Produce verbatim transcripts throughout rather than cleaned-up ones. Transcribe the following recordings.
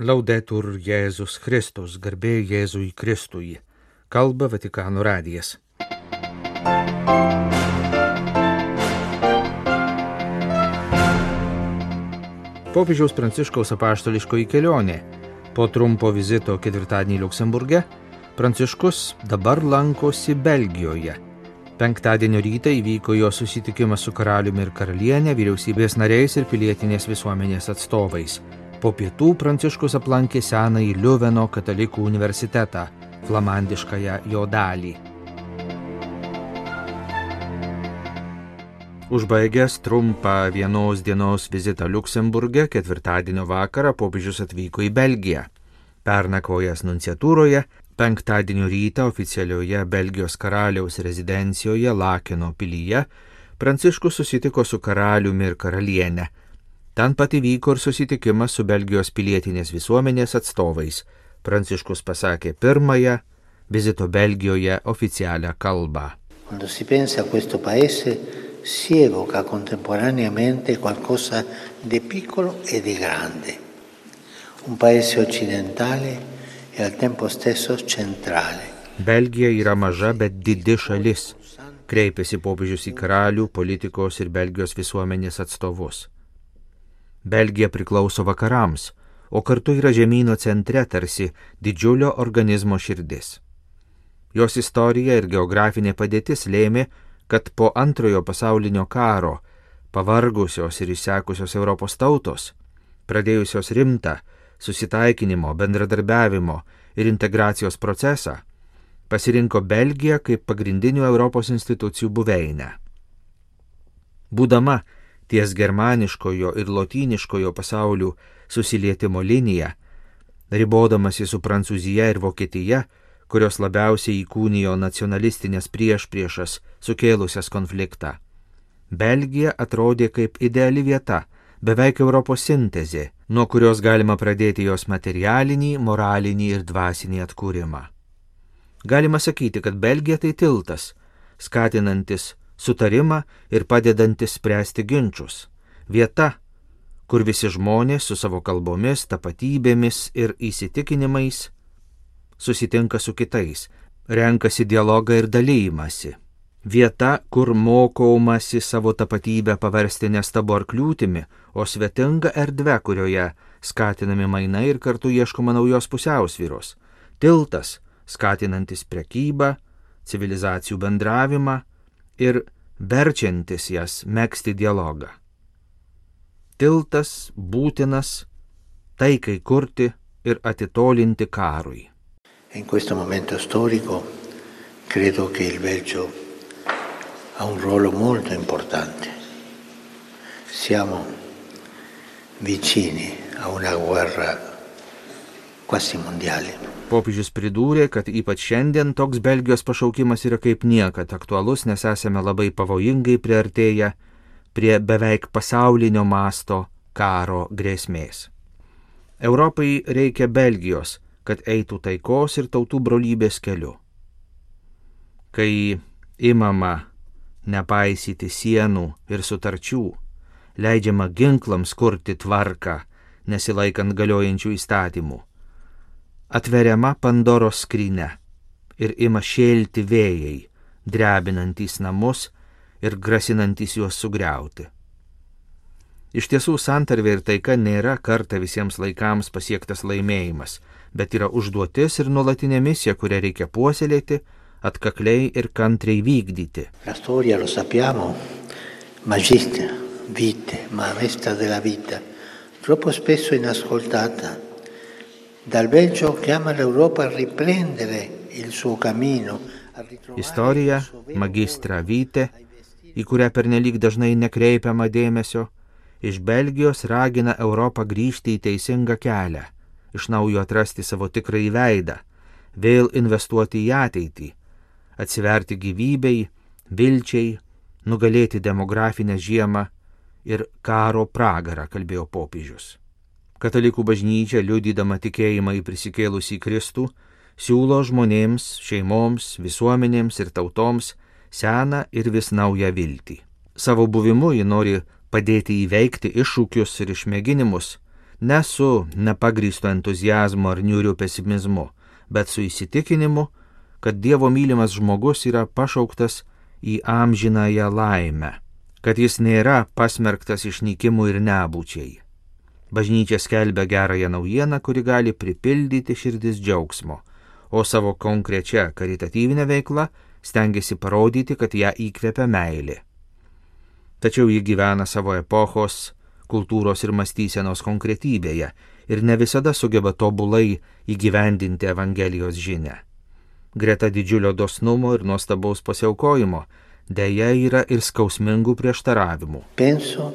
Laudetur Jėzus Kristus, garbė Jėzui Kristui. Kalba Vatikano radijas. Popiežiaus Pranciškaus apaštališkoji kelionė. Po trumpo vizito ketvirtadienį Liuksemburge, Pranciškus dabar lankosi Belgijoje. Penktadienio rytą įvyko jo susitikimas su karaliumi ir karaliene, vyriausybės nariais ir pilietinės visuomenės atstovais. Po pietų Pranciškus aplankė senąjį Liuveno katalikų universitetą, flamandiškąją jo dalį. Užbaigęs trumpą vienos dienos vizitą Liuksemburge, ketvirtadienio vakarą popiežius atvyko į Belgiją. Pernakvojęs nunciatūroje, penktadienio rytą oficialioje Belgijos karaliaus rezidencijoje Lakeno pilyje, Pranciškus susitiko su karaliumi ir karaliene. Ten pat įvyko ir susitikimas su Belgijos pilietinės visuomenės atstovais. Pranciškus pasakė pirmąją vizito Belgijoje oficialią kalbą. Quando si pensa a questo paese, si evoca contemporaneamente qualcosa di piccolo e di grande. Un paese occidentale e al tempo stesso centrale. Belgija yra maža, bet didi šalis. Kreipėsi popiežius į karalių, politikos ir Belgijos visuomenės atstovus. Belgija priklauso vakarams, o kartu yra žemyno centre tarsi didžiulio organizmo širdis. Jos istorija ir geografinė padėtis lėmė, kad po antrojo pasaulinio karo pavargusios ir išsekusios Europos tautos, pradėjusios rimtą susitaikinimo, bendradarbiavimo ir integracijos procesą, pasirinko Belgiją kaip pagrindinių Europos institucijų buveinę. Būdama ties germaniškojo ir lotyniškojo pasaulių susilietimo linija, ribodamasi su Prancūzija ir Vokietija, kurios labiausiai įkūnijo nacionalistinės priešpriešas sukėlusias konfliktą. Belgija atrodė kaip ideali vieta, beveik Europos sintezė, nuo kurios galima pradėti jos materialinį, moralinį ir dvasinį atkūrimą. Galima sakyti, kad Belgija tai tiltas, skatinantis sutarimą ir padedantis spręsti ginčius. Vieta, kur visi žmonės su savo kalbomis, tapatybėmis ir įsitikinimais susitinka su kitais, renkasi dialogą ir dalymasi. Vieta, kur mokomasi savo tapatybę paversti ne stabu ar kliūtimi, o svetinga erdve, kurioje skatinami mainai ir kartu ieškoma naujos pusiausvyros. Tiltas, skatinantis prekybą, civilizacijų bendravimą ir verčiantis jas megzti dialogą. Tiltas būtinas taikai kurti ir atitolinti karui. In questo momento storico credo che il Belgio ha un ruolo molto importante. Siamo vicini a una guerra quasi mondiale. Popiežius pridūrė, kad ypač šiandien toks Belgijos pašaukimas yra kaip niekad aktualus, nes esame labai pavojingai priartėję prie beveik pasaulinio masto karo grėsmės. Europai reikia Belgijos, kad eitų taikos ir tautų brolybės keliu. Kai imama nepaisyti sienų ir sutarčių, leidžiama ginklams kurti tvarką, nesilaikant galiojančių įstatymų, atveriama Pandoros skrynia ir ima šėlti vėjai, drebinantys namus ir grasinantys juos sugriauti. Iš tiesų, santarvė ir taika nėra kartą visiems laikams pasiektas laimėjimas, bet yra užduotis ir nuolatinė misija, kurią reikia puoselėti, atkakliai ir kantriai vykdyti. La storia, lo sappiamo, magista, vite, maestra della vita, troppo spesso inascoltata. Dal Belgio chiama l'Europa a riprendere il suo cammino. Istorija, magistra vite, į kurią pernelyg dažnai nekreipiama dėmesio, iš Belgijos ragina Europą grįžti į teisingą kelią, iš naujo atrasti savo tikrąjį veidą, vėl investuoti į ateitį, atsiverti gyvybei, vilčiai, nugalėti demografinę žiemą ir karo pragarą, kalbėjo popiežius. Katalikų bažnyčia, liudydama tikėjimą į prisikėlusį Kristų, siūlo žmonėms, šeimoms, visuomenėms ir tautoms seną ir vis naują viltį. Savo buvimu ji nori padėti įveikti iššūkius ir išmėginimus, ne su nepagrįsto entuzijazmo ar niūriu pesimizmu, bet su įsitikinimu, kad Dievo mylimas žmogus yra pašauktas į amžinąją laimę, kad jis nėra pasmerktas išnykimui ir nebūčiai. Bažnyčia skelbia gerąją naujieną, kuri gali pripildyti širdis džiaugsmo, o savo konkrečia karitatyvinė veikla stengiasi parodyti, kad ją įkvepia meilė. Tačiau ji gyvena savo epochos, kultūros ir mąstysenos konkretybėje ir ne visada sugeba tobulai įgyvendinti Evangelijos žinią. Greta didžiulio dosnumo ir nuostabaus pasiaukojimo deja yra ir skausmingų prieštaravimų. Penso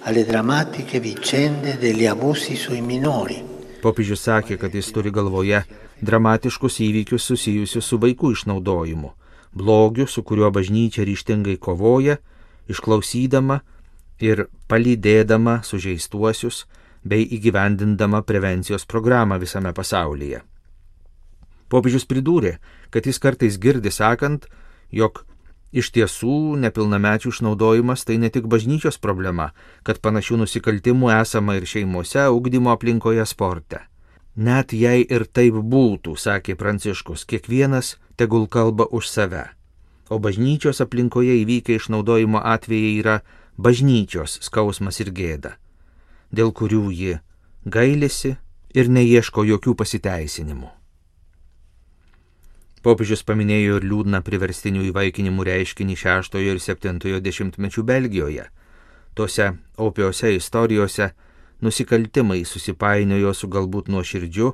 alle drammatiche vicende degli abusi sui minori. Popiežius sakė, kad jis turi galvoje dramatiškus įvykius susijusius su vaikų išnaudojimu, blogiu, su kuriuo bažnyčia ryžtingai kovoja, išklausydama ir palydėdama sužeistuosius bei įgyvendindama prevencijos programą visame pasaulyje. Popiežius pridūrė, kad jis kartais girdi sakant, jog iš tiesų nepilnamečių išnaudojimas tai ne tik bažnyčios problema, kad panašių nusikaltimų esama ir šeimose, ugdymo aplinkoje, sporte. Net jei ir taip būtų, sakė Pranciškus, kiekvienas tegul kalba už save. O bažnyčios aplinkoje įvykę išnaudojimo atvejai yra bažnyčios skausmas ir gėda, dėl kurių ji gailisi ir neieško jokių pasiteisinimų. Popiežius paminėjo ir liūdną priverstinių įvaikinimų reiškinį šeštojo ir septintojo dešimtmečių Belgijoje. Tose opiose istorijose nusikaltimai susipainiojo su galbūt nuoširdžiu,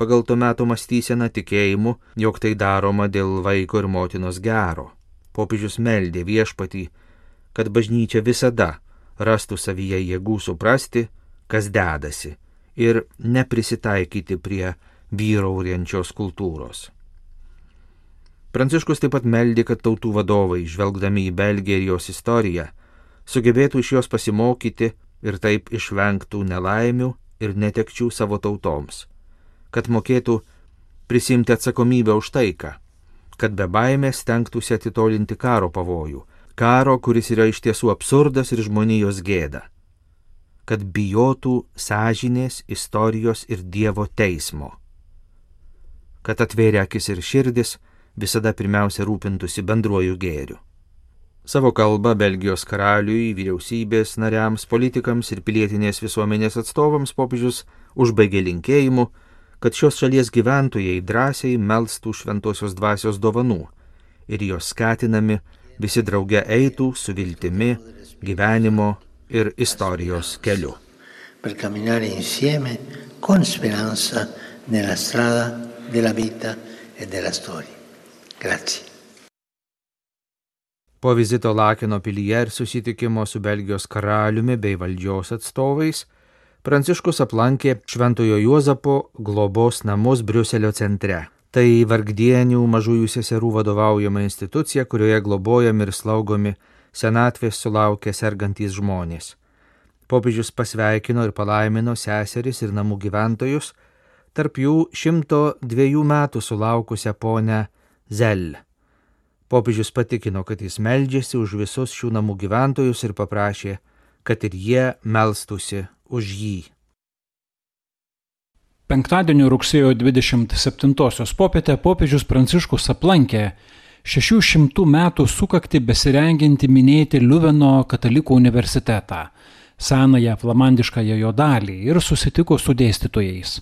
pagal to meto mąstyseną tikėjimu, jog tai daroma dėl vaiko ir motinos gero. Popiežius meldė Viešpatį, kad bažnyčia visada rastų savyje jėgų suprasti, kas dedasi, ir neprisitaikyti prie vyraujančios kultūros. Pranciškus taip pat meldė, kad tautų vadovai, žvelgdami į Belgiją ir jos istoriją, sugebėtų iš jos pasimokyti ir taip išvengtų nelaimių ir netekčių savo tautoms, kad mokėtų prisimti atsakomybę už taiką, kad be baimės stengtųsi atitolinti karo pavojų, karo, kuris yra iš tiesų absurdas ir žmonijos gėda, kad bijotų sąžinės, istorijos ir Dievo teismo, kad atvėrė akis ir širdis, visada pirmiausia rūpintųsi bendruoju gėriu. Savo kalbą Belgijos karaliui, vyriausybės nariams, politikams ir pilietinės visuomenės atstovams popiežius užbaigė linkėjimu, kad šios šalies gyventojai drąsiai melstų šventosios dvasios dovanų ir jos skatinami visi drauge eitų su viltimi, gyvenimo ir istorijos keliu. Per camminare insieme con speranza nella strada della vita e della storia. Grazie. Po vizito Lakeno pilyje ir susitikimo su Belgijos karaliumi bei valdžios atstovais, Pranciškus aplankė Šventojo Juozapo globos namus Briuselio centre. Tai vargdienių mažųjų seserų vadovaujama institucija, kurioje globojami ir slaugomi senatvės sulaukę sergantys žmonės. Popiežius pasveikino ir palaimino seseris ir namų gyventojus, tarp jų šimto dviejų metų sulaukusią ponę Zel. Popiežius patikino, kad jis meldžiasi už visus šių namų gyventojus ir paprašė, kad ir jie melstųsi už jį. Penktadienio rugsėjo dvidešimt septintosios popietę popiežius Pranciškus aplankė šešių šimtų metų sukaktį besirengiantį minėti Liuveno katalikų universitetą, senąją flamandiškąją jo dalį, ir susitiko su dėstytojais.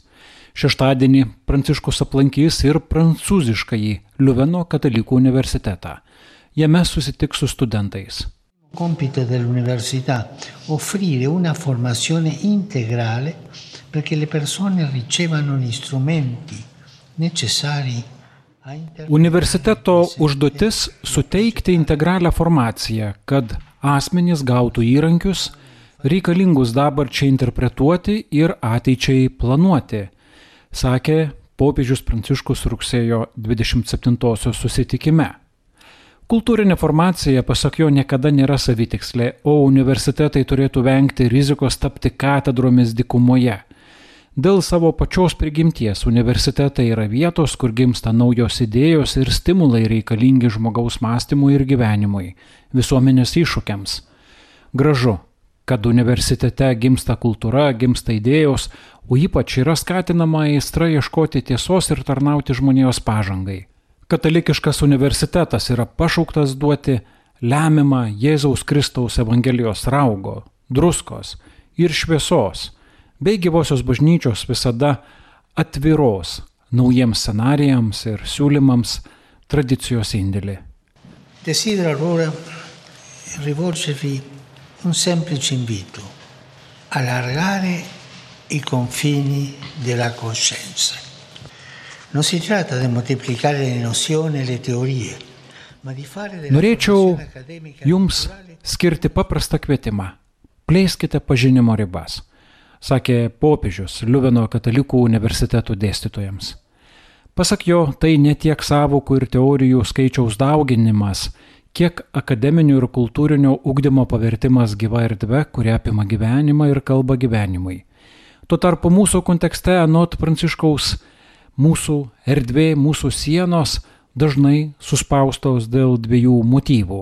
Šeštadienį Pranciškus aplankys ir prancūziškąjį Liuveno katalikų universitetą. Jame susitiks su studentais. Compito dell'università offrire una formazione integrale perché le persone ricevano gli strumenti necessari a interpretare. Universiteto užduotis suteikti integralią formaciją, kad asmenys gautų įrankius reikalingus dabarčiai interpretuoti ir ateičiai planuoti, sakė popiežius Pranciškus rugsėjo dvidešimt septintosios susitikime. Kultūrinė formacija, pasak jo, niekada nėra savitikslė, o universitetai turėtų vengti rizikos tapti katedromis dykumoje. Dėl savo pačios prigimties universitetai yra vietos, kur gimsta naujos idėjos ir stimulai reikalingi žmogaus mąstymui ir gyvenimui, visuomenės iššūkiams. Gražu, kad universitete gimsta kultūra, gimsta idėjos, o ypač yra skatinama aistra ieškoti tiesos ir tarnauti žmonijos pažangai. Katalikiškas universitetas yra pašauktas duoti lemiamą Jėzaus Kristaus Evangelijos raugo, druskos ir šviesos, bei gyvosios bažnyčios visada atviros naujiems scenarijams ir siūlymams tradicijos indėlį. Desidero allora rivolgervi un semplice invito, allargare i confini della coscienza. Non si tratta di moltiplicare le nozioni e le teorie, ma di fare della Norėčiau formazione accademica jums skirti paprastą kvietimą. Plėskite pažinimo ribas, sakė popiežius Liuveno katalikų universitetų dėstytojams. Pasak jo, tai ne tiek sąvokų ir teorijų skaičiaus dauginimas, kiek akademinio ir kultūrinio ugdymo pavertimas gyva erdve, kuri apima gyvenimą ir kalba gyvenimui. Tuo tarpu mūsų kontekste, anot Pranciškaus, mūsų erdvė, mūsų sienos dažnai suspaustos dėl dviejų motyvų.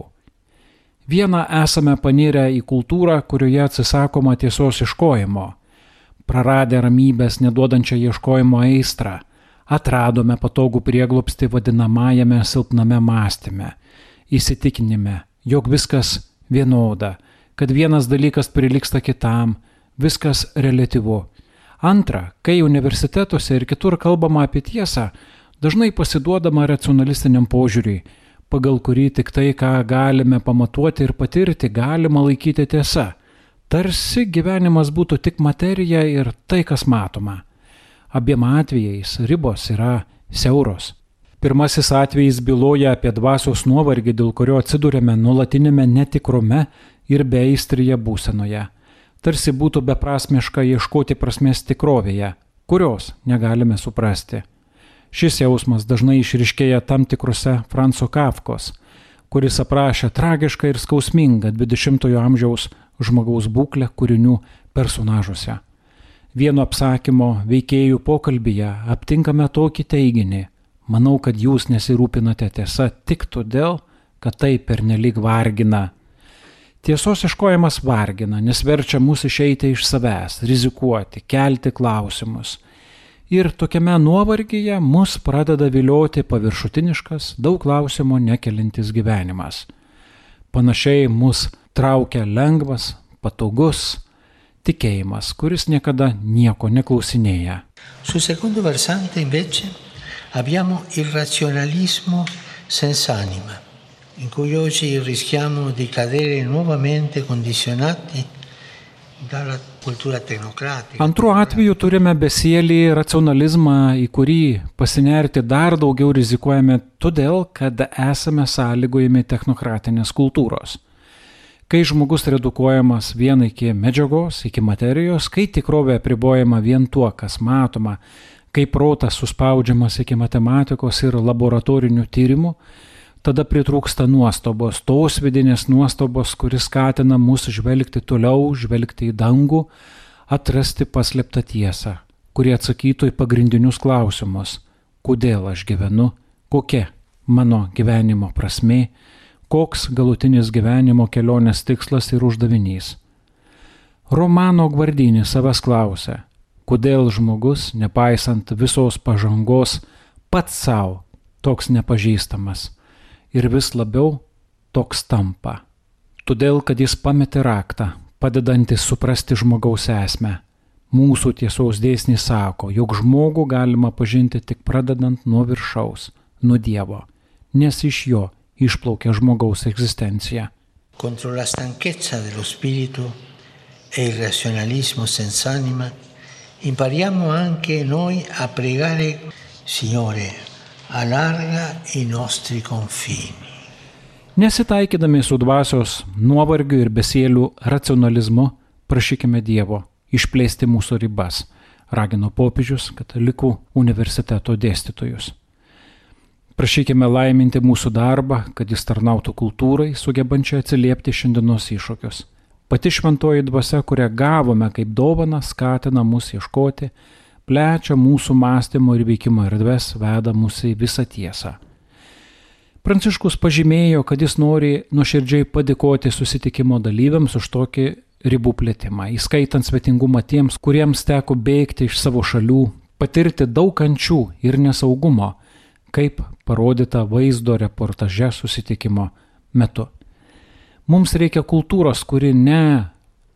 Viena, esame panirę į kultūrą, kurioje atsisakoma tiesos ieškojimo. Praradę ramybės neduodančią ieškojimo aistrą, atradome patogų prieglobstį vadinamajame silpname mąstyme, įsitikinime, jog viskas vienoda, kad vienas dalykas prilygsta kitam, viskas reliatyvu. Antra, kai universitetuose ir kitur kalbama apie tiesą, dažnai pasiduodama racionalistiniam požiūriui, pagal kurį tik tai, ką galime pamatuoti ir patirti, galima laikyti tiesa. Tarsi gyvenimas būtų tik materija ir tai, kas matoma. Abiem atvejais ribos yra siauros. Pirmasis atvejis byloja apie dvasios nuovargį, dėl kurio atsidūrėme nuolatinėme netikrume ir beaistryje būsenoje. Tarsi būtų beprasmiška ieškoti prasmės tikrovėje, kurios negalime suprasti. Šis jausmas dažnai išryškėja tam tikrose Franco Kafkos, kuris aprašė tragišką ir skausmingą dvidešimtojo amžiaus žmogaus būklę kūrinių personažuose. Vieno apsakymo veikėjų pokalbyje aptinkame tokį teiginį: manau, kad jūs nesirūpinate tiesa tik todėl, kad tai pernelyg vargina. Tiesos ieškojimas vargina, nes verčia mus išeiti iš savęs, rizikuoti, kelti klausimus. Ir tokiame nuovargyje mus pradeda vilioti paviršutiniškas, daug klausimų nekelintis gyvenimas. Panašiai mus traukia lengvas, patogus tikėjimas, kuris niekada nieko neklausinėja. Sul secondo versante invece abbiamo il razionalismo senza anima, in cui oggi rischiamo di cadere nuovamente condizionati dalla cultura tecnocratica. Antru atveju turime besielį racionalizmą, į kurį pasinerti dar daugiau rizikuojame todėl, kad esame sąlygojami technokratinės kultūros. Kai žmogus redukuojamas vien iki medžiagos, iki materijos, kai tikrovė apribojama vien tuo, kas matoma, kai protas suspaudžiamas iki matematikos ir laboratorinių tyrimų, tada pritrūksta nuostabos, tos vidinės nuostabos, kuris skatina mus žvelgti toliau, žvelgti į dangų, atrasti paslėptą tiesą, kurie atsakytų į pagrindinius klausimus: kodėl aš gyvenu, kokia mano gyvenimo prasmė, koks galutinis gyvenimo kelionės tikslas ir uždavinys. Romano Guardini savęs klausia, kodėl žmogus, nepaisant visos pažangos, pats savo toks nepažįstamas ir vis labiau toks tampa. Todėl, kad jis pametė raktą, padedantis suprasti žmogaus esmę. Mūsų tiesos dėsnis sako, jog žmogų galima pažinti tik pradedant nuo viršaus, nuo Dievo, nes iš jo išplaukia žmogaus egzistencija. Contro la stanchezza dello spirito e il razionalismo senza anima, impariamo anche noi a pregare: Signore, allarga i nostri confini. Nesitaikydami su dvasios nuovargiu ir besielių racionalizmu, prašykime Dievo išplėsti mūsų ribas, ragino popiežius katalikų universiteto dėstytojus. Prašykime laiminti mūsų darbą, kad jis tarnautų kultūrai, sugebančiai atsiliepti šiandienos iššūkius. Pati šventoji dvasia, kurią gavome kaip dovaną, skatina mus ieškoti, plečia mūsų mąstymo ir veikimo erdves, veda mus į visą tiesą. Pranciškus pažymėjo, kad jis nori nuoširdžiai padėkoti susitikimo dalyviams už tokį ribų plėtimą, įskaitant svetingumą tiems, kuriems teko bėgti iš savo šalių, patirti daug kančių ir nesaugumo, kaip parodyta vaizdo reportaže susitikimo metu. Mums reikia kultūros, kuri ne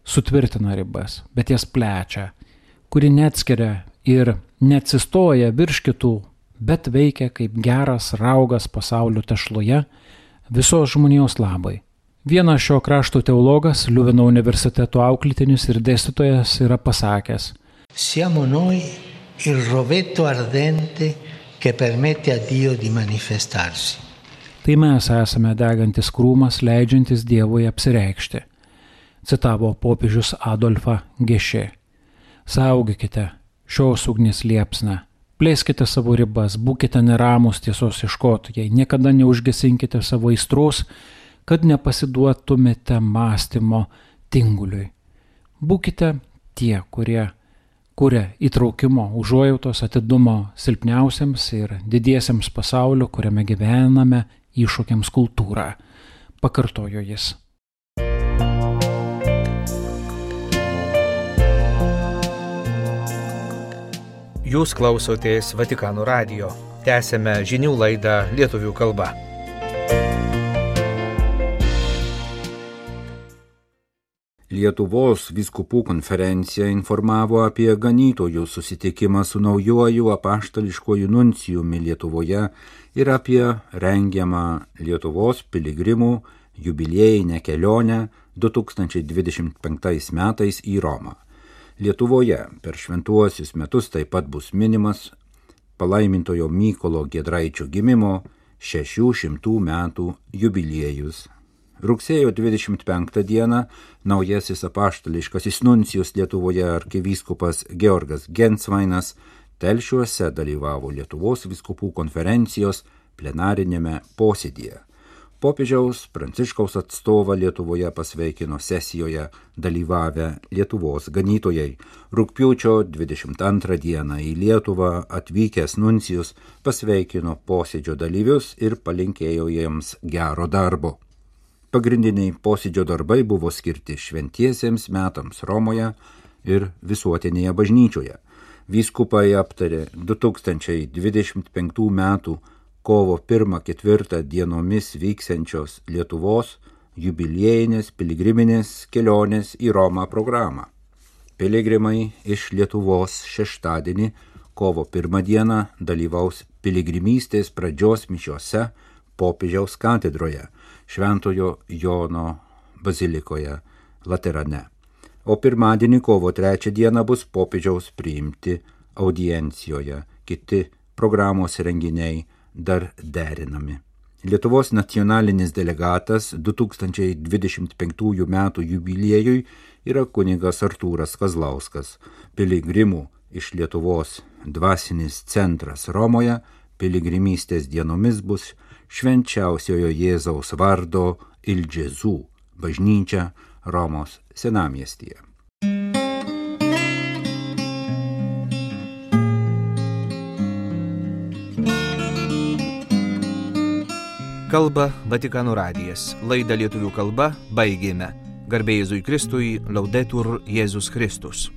sutvirtina ribas, bet jas plečia, kuri neatskiria ir neatsistoja virš kitų, bet veikia kaip geras raugas pasaulio tešloje visos žmonijos labai. Vienas šio krašto teologas, Liuveno universiteto auklėtinis ir dėstytojas yra pasakęs: Siamo noi il rovetto ardente che permette a Dio di manifestarsi. Tai mes esame degantis krūmas, leidžiantis Dievui apsireikšti, citavo popiežius Adolfą Gešė. Saugokite šios ugnies liepsną, plėskite savo ribas, būkite neramūs tiesos ieškotojai, niekada neužgesinkite savo aistros, kad nepasiduotumėte mąstymo tinguliui. Būkite tie, kurie kuria įtraukimo, užuojautos, atidumo silpniausiams ir didiesiems pasaulio, kuriame gyvename, iššūkiams kultūrą, pakartojo jis. Jūs klausotės Vatikano radijo. Tęsiame žinių laidą lietuvių kalba. Lietuvos vyskupų konferencija informavo apie ganytojų susitikimą su naujuoju apaštališkuoju nuncijumi Lietuvoje ir apie rengiamą Lietuvos piligrimų jubiliejinę kelionę du tūkstančiai dvidešimt penktais metais į Romą. Lietuvoje per šventuosius metus taip pat bus minimas palaimintojo Mykolo Giedraičio gimimo šešių šimtų metų jubiliejus. Rugsėjo dvidešimt penktą dieną naujasis apaštališkasis nuncijus Lietuvoje arkivyskupas Georgas Gensvainas Telšiuose dalyvavo Lietuvos vyskupų konferencijos plenarinėme posėdyje. Popiežiaus Pranciškaus atstovą Lietuvoje pasveikino sesijoje dalyvavę Lietuvos ganytojai. Rugpjūčio dvidešimt antrą dieną į Lietuvą atvykęs nuncijus pasveikino posėdžio dalyvius ir palinkėjo jiems gero darbo. Pagrindiniai posėdžio darbai buvo skirti šventiesiems metams Romoje ir visuotinėje bažnyčioje. Vyskupai aptarė du tūkstančiai dvidešimt penktų metų kovo pirmą ketvirtą dienomis vyksiančios Lietuvos jubiliejinės piligriminės kelionės į Romą programą. Piligrimai iš Lietuvos šeštadienį kovo pirmą dieną dalyvaus piligrimystės pradžios mišiose popiežiaus katedroje Šventojo Jono bazilikoje Laterane. O pirmadienį kovo trečią dieną bus popiežiaus priimti audiencijoje. Kiti programos renginiai dar derinami. Lietuvos nacionalinis delegatas du tūkstančiai dvidešimt penktųjų metų jubiliejui yra kunigas Artūras Kazlauskas. Piligrimų iš Lietuvos dvasinis centras Romoje piligrimystės dienomis bus Švenčiausiojo Jėzaus vardo Il Gesù bažnyčia Romos senamiestyje. Kalba Vatikano radijas. Laidą lietuvių kalba baigėme. Garbė Jėzui Kristui, Laudetur Jėzus Kristus.